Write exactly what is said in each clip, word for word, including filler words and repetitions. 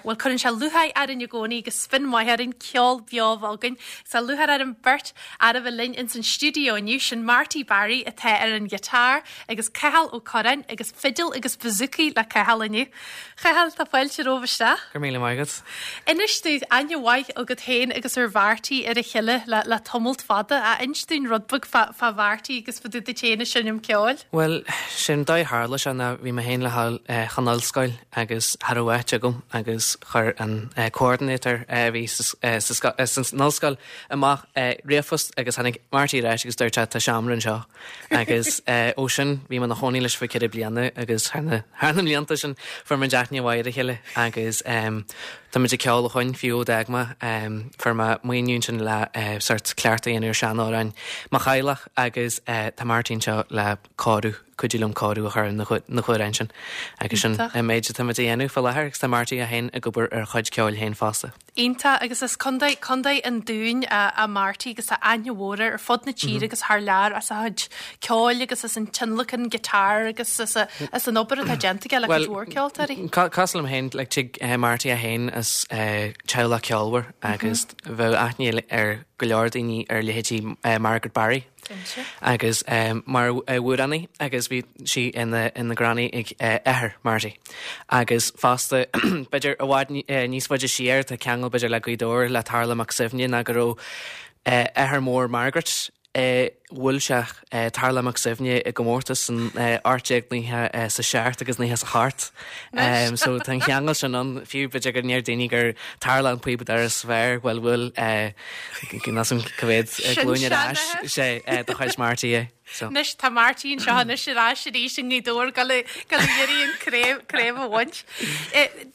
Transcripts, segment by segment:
Bhuel, cuireann sé lúcháir orainn i gcónaí agus spion maith orainn ceol beo a bheith againn. Tá lúcháir ar an beirt fhear a bheith linn ins an stiúideo inniu, sin Marty Barry atá ar an ghiotár agus Cathal Ó Curráin agus fidil agus bouzouki le Cathal inniu. Chathal, tá fáilte romhaibh isteach. Go raibh míle maith agat. Inis dúinn aithne mhaith agat féin agus ar Mharty ar a chéile le, le tamalt fada. A inis dúinn rud beag fá, fá Mharty agus fá dtaobh duit féin ag seinm ceoil. Bhuel, sin dóigh a tharla sé ná bhí mé féin le dhul chun ollscoil agus cha raibh áit agam agus chuir an coordinator a bhí san ollscoil amach ríomhphost agus tháinig Marty ar ais agus dúirt sé tá seomra anseo agus ó sin bhí mé ina chónaí leis fá ceithre bliana agus thar na thar na mblianta sin fuair muid aithne mhaith ar a chéile agus tá muid ag ceol ó shoin fiú ó d'fhág mé fuair mé maoiniú ansin le sort cleachtadh a dhéanamh ar seanamhráin mo theaghlach agus tá Marty anseo le cóiriú cuidiú liom cóiriú a chur ar na hamhráin sin agus sin an méid atá muid a dhéanamh faoi láthair agus tá Marty é féin ag obair ar a chuid ceoil féin fosta. Iontach agus as Contae Contae an Dúin a Marty agus tá aithne mhór air ar fud na tíre agus thar lear as a chuid ceoil agus as an tionlacan guitar agus as a as an obair atá déanta aige le cuid mhór ceoltóirí. Cosúil liom féin like tig Marty é féin as teaghlach ceolmhar agus bheadh aithne ar go leor daoine ar leithéidí Margaret Barry. Agus mar amhránaí agus bhí sí ina ina granny ag athair Marty. Agus fosta b'fhéidir i bhfad níos faide siar tá ceangal b'fhéidir le Gaoth Dobhair le Tarlach Mac Suibhne ná go raibh athair mór Margaret bhuail sé Tarlach Mac Suibhne i gcomórtas san ocht déag nócha is a seacht agus nócha is a hocht. So tá an cheangal sin ann fiú b'fhéidir go ndeir daoine gur Tarlach an píobadóir is fearr, bhuel bhuail níl a fhios agam cá mhéad glúin ar ais sé de chuid Marty é. So. Anois tá Marty anseo anois ar ais arís i nGaoth Dobhair ag dul ag iarraidh an craobh craobh a bhaint.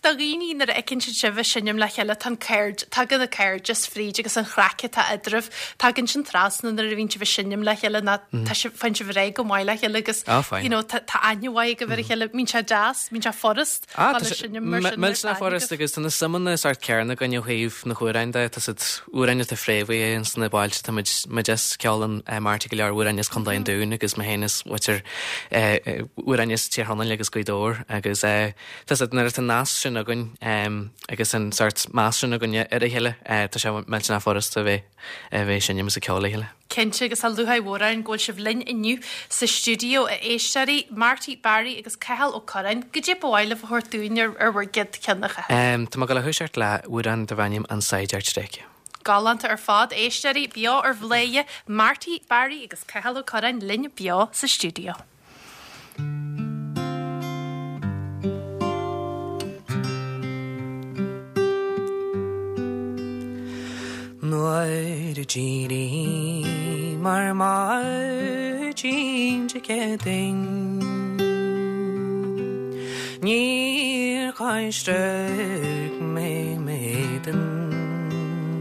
Do dhaoine nuair a fheiceann siad sibh ag seinm le chéile tá an caird tagann an cairdeas fríd agus an chraic atá eadraibh tagann sin trasna nuair a bhíonn sibh ag seinm le chéile ná tá sibh faigheann sibh ar aghaidh go maith le chéile agus Ah, fine. you know tá tá aithne mhaith agaibh ar a chéile mbíonn sé deas mbíonn sé furast Ah, dul tá ag sé seinm mar sin millteanach furast agus tá na suimeanna sort céanna againn ó thaobh na hamhráin de tá siad amhráin atá fréamhaithe ins na bailte tá muid muid as ceolann Marty go leor amhráin as Contae an Dúin agus mé féin is b'fhéidir amhráin as Tír Chonaill agus Gaoth Dobhair agus tá siad nuair atá an nasc sin againn agus an sort meas sin againn ar a chéile tá sé millteanach furast a bheith a bheith ag seinm is ag ceol le chéile. Cinnte agus tá lúcháir mhór orainn go bhfuil sibh linn inniu sa stiúideo a éisteoirí, Marty Barry agus Cathal Ó Curráin. Goidé ba mhaith libh a thabhairt dúinn ar ar bhur gcéad cheann a Chathail? Tá mé ag dul a thoiseacht le amhrán darb ainm An Saighdiúir Tréigthe. Galánta ar fad, éisteoirí, beo ar Bhladhaire, Marty Barry agus Cathal Ó Curráin linn beo sa stiúideo. Nuair a d'éiríomar ar maidin Dé Céadaoin Níor choisric mé m'éadan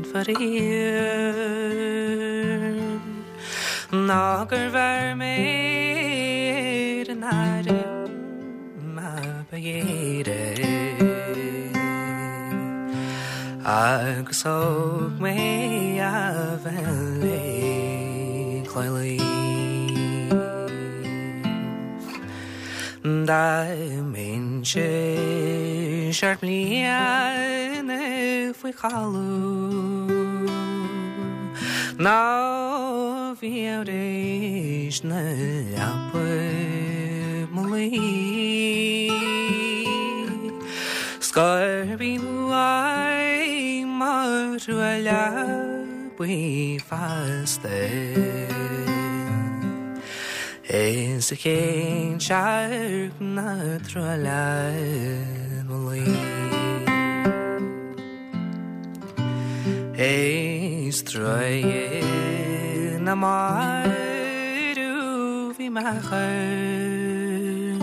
faraor Ná gur bheir mé ar an airm a ba ghéire Agus thóg mé a bheith le cloí. Dá mbeinnse seacht mbliana faoi chodladh Nó bhí tar éis na leapa mo luí 'S gurb in uaim mo thrua leabaidh feasta. Is a chéin searc na trua le mo luí. Is truaighe na marbh bhí m'athair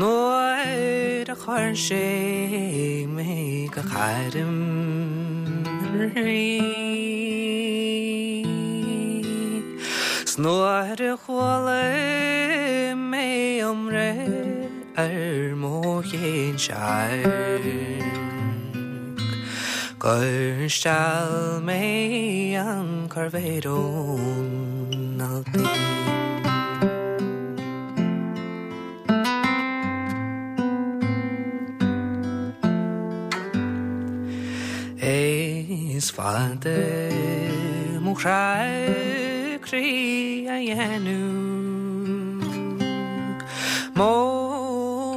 Nuair a chuir sé mé go hairm an Rí. 'S nuair a chuala mé i mbreith ar mo shinsear Gur steall mé an coirbéar ón ailpín. Is fada mo chrá croí a dhéanamh Mo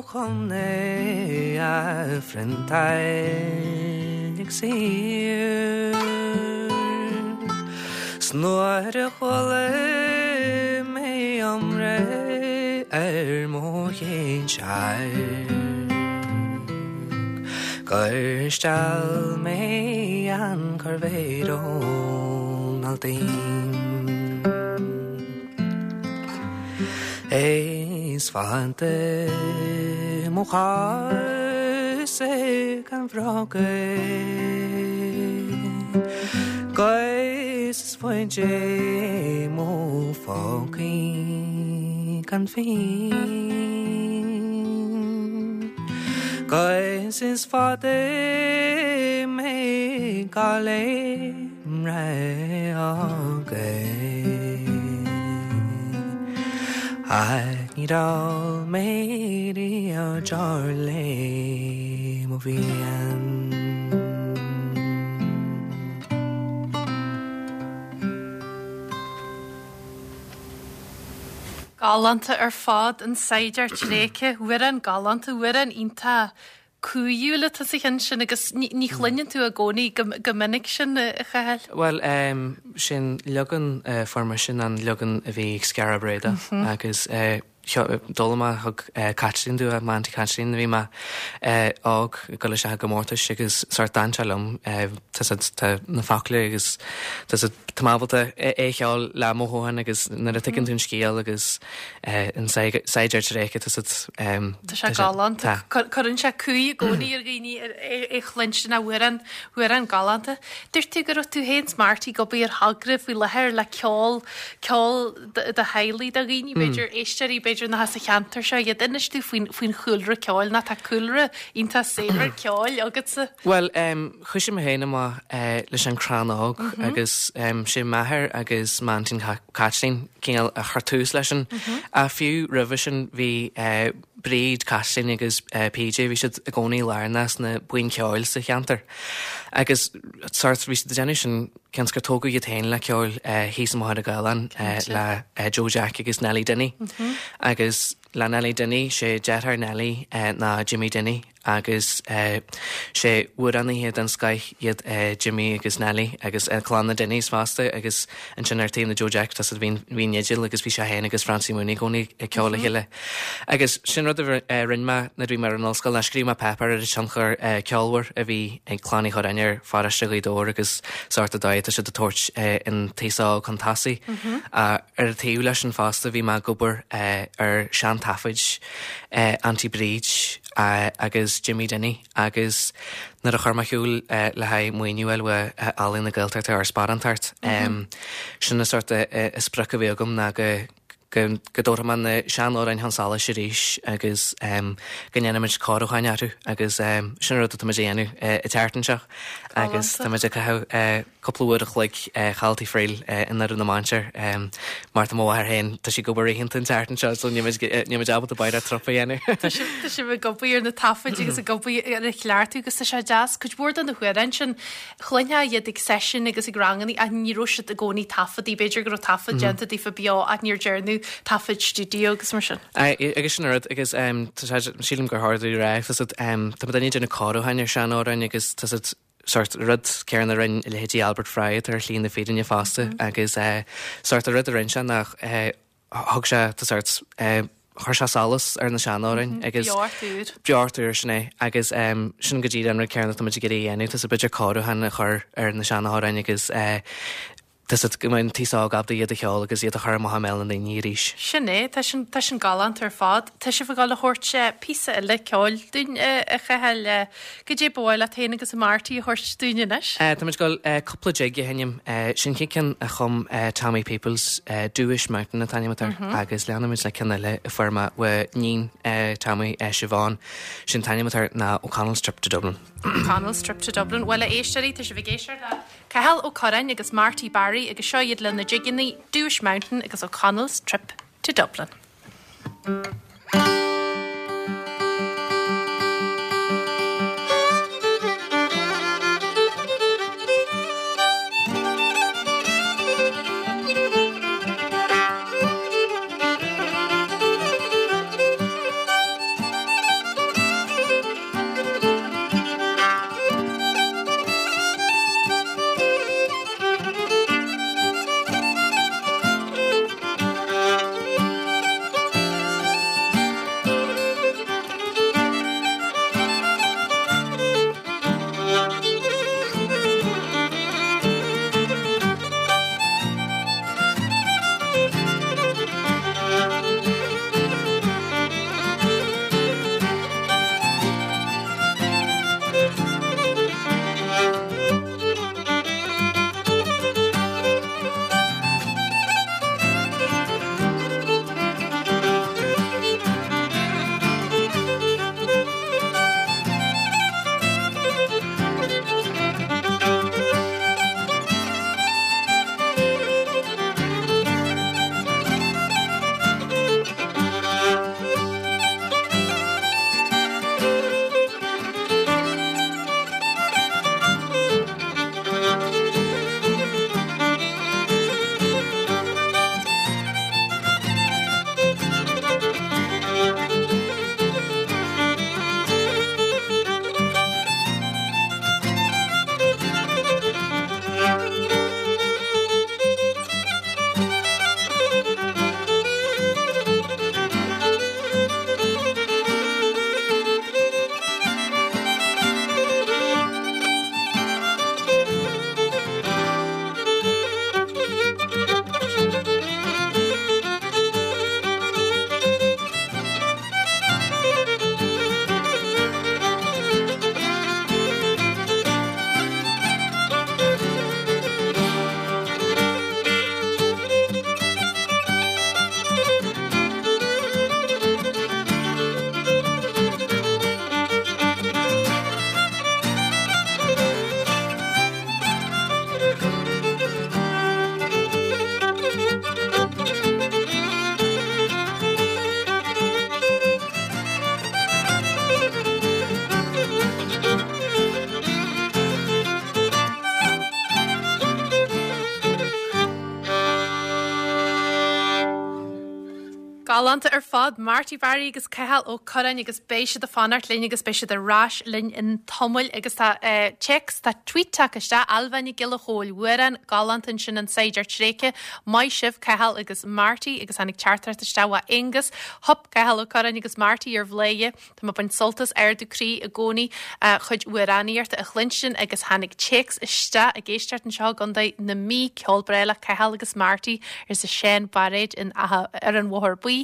chontae a phriontáil ag saor 'S nuair a chuala mé iomrá ar mo shinsear Gur steall mé an coirbéar ón alltaoin Is fada mo chás gan bhróga Gus is faide mo phócaí gan phínn Gus is fada mé Gaillimh againn Ach níor ól mé riamh deoir le mo mhian. Galánta ar fad an Saighdiúir Tréigthe, amhrán galánta, amhrán iontach cumhúil atá sa cheann sin agus ní chluineann tú i gcónaí go minic sin a Chathail. Bhuel, sin leagan foirme sin an leagan a bhí ag Skara Brae agus d'fhoghlaim mé thug Caitlín domh é, m'auntie Caitlín nuair a bhí mé óg ag dul isteach i gcomórtais agus sórt d'fhan sé liom tá tá na focla agus tá tá mé ábalta é a cheol le mothúchán agus nuair a tuigeann tú an scéal agus an saighdiúir tréigthe tá siad Tá sé galánta. Cuireann sé cumha i gcónaí ar dhaoine é chluinstin amhrán amhrán galánta. Dúirt tú go raibh tú féin 's Marty ag obair ar thogra faoi láthair le ceol ceol do theaghlaigh do dhaoine b'fhéidir éisteoirí b'fhéidir nach as an cheantar seo iad. Inis dúinn faoin faoin chúlra ceoil nó tá cúlra iontach saibhir ceoil agatsa. Bhuel, thoisigh mé féin amach leis an Crann Óg agus sé m'athair agus m'aintín Caitlín cineál a chuir tús leis sin. Ach fiú roimhe sin bhí Bríd, Caitlín agus PJ, bhí siad i gcónaí lárnach sna buíon ceoil sa cheantar. Agus sórt bhí siad ag déanamh sin cionn is gur tógadh iad féin le ceol thíos i Machaire Gathlán le Joe Jack agus Nellie Dinny. Agus le Nellie Dinny, sé deartháir Nellie ná Jimmy Dinny agus sé amhránaithe den scoith iad Jimmy agus Nellie agus clann na Dinnys fosta agus ansin ar taobh na Joe Jack tá bhí bhí Nigel agus bhí sé féin agus Francie Mooney i gcónaí ag ceol le chéile. Agus sin rud a rinne mé nuair a bhí mé ar an ollscoil ná scríobh mé páipéar ar an tionchar ceolmhar a bhí ag Clann Uí Churráin ar pharóiste Ghaoth Dobhair agus sórt an dóigh atá siad ag tabhairt an t-aos óg chun tosaigh. Ar an taobh leis sin fosta bhí mé ag obair ar seantaifid Auntie Bríd agus Jimmy Dinny agus nuair a chuir mé ar siúl le haghaidh maoiniú a fháil ó Ealaín na Gaeltachta ar sparántacht sin an sórt sprioc a bhí agam ná go go go dtabharfaidh mé na seanamhráin chun solais arís agus go ndéanfaimid cóiriúcháin orthu agus sin rud atá muid a dhéanamh an tseachtain seo agus tá muid ag caitheamh cúpla uair a chloig thall Tigh Friel i nDoire na Mainséar mar tá mo mháthair féin tá sí ag obair oícheanta an tseachtain seo so níl muid ábalta b'fhéidir trup a dhéanamh. Tá sibh ag obair ar na taifid agus ag obair ar a chleachtadh agus tá sé deas cuid mhór de na hamhráin sin chluinfeá iad ag seisiúin agus ag ranganna ach ní raibh siad i gcónaí taifeadtaí b'fhéidir go raibh taifead déanta daofa beo ach níor dearnadh taifead stiúideo agus mar sin. Agus sin rud agus sílim gur tharla rá tá muid ag déanamh cóiriúcháin ar seanamhráin agus tá siad sórt rud céanna a rinne leithéidí Albert Fry atá ar shlí na fírinne fosta agus sórt rud a rinne sé nach thug sé tá sórt chuir sé solas ar na seanamhráin agus Beocht úr. Beocht úr sin é agus sin go dtí an rud céanna tá muid ag iarraidh a dhéanamh tá sé b'fhéidir cóiriúchán a chur ar na seanamhráin agus tá siad go mbeidh an t-aos óg ábalta iad a cheol agus iad a chur amach i mbéal na ndaoine arís. Sin é, tá sin tá sin galánta ar fad. Tá sibh ag dul a thabhairt píosa eile ceoil dúinn a Chathail. Goidé ba mhaith leat féin agus Marty a thabhairt dúinn anois? Tá muid ag dul cúpla jig a sheinm. Sin chéad ceann a chum Tommy Peoples, Dooish Mountain an t-ainm atá air agus leanfaimid le ceann eile a fuair mé ó níon Tommy, Siobhán. Sin t-ainm atá air ná O'Connell's Trip to Dublin. O'Connell's Trip to Dublin. Bhuel a éisteoirí, tá sibh ag éisteacht le Cathal Ó Curráin agus Marty Barry agus seo iad lena jigeanna Dooish Mountain agus O'Connell's Trip to Dublin. Galánta ar fad Marty Barry agus Cathal Ó Curráin agus beidh siad ag fanacht linn agus beidh siad ar ais linn i dtamall agus tá uh, téacs tá tweet tagtha isteach Ailbhe Nic Giolla Chóill amhrán galánta ansin an Saighdiúir Tréigthe maith sibh Cathal agus Marty agus tháinig teachtaireacht isteach ó Angus Hup Cathal Ó Curráin agus Marty ar bhléige Tá mé ag baint sult as Ardú Croí i gcónaí uh, chuid amhránaíochta a chluinstin agus tháinig téacs isteach ag éisteacht anseo i gContae na Mí ceol breá le Cathal agus Marty arsa Seán Bairéad in ar an Bhóthar Buí.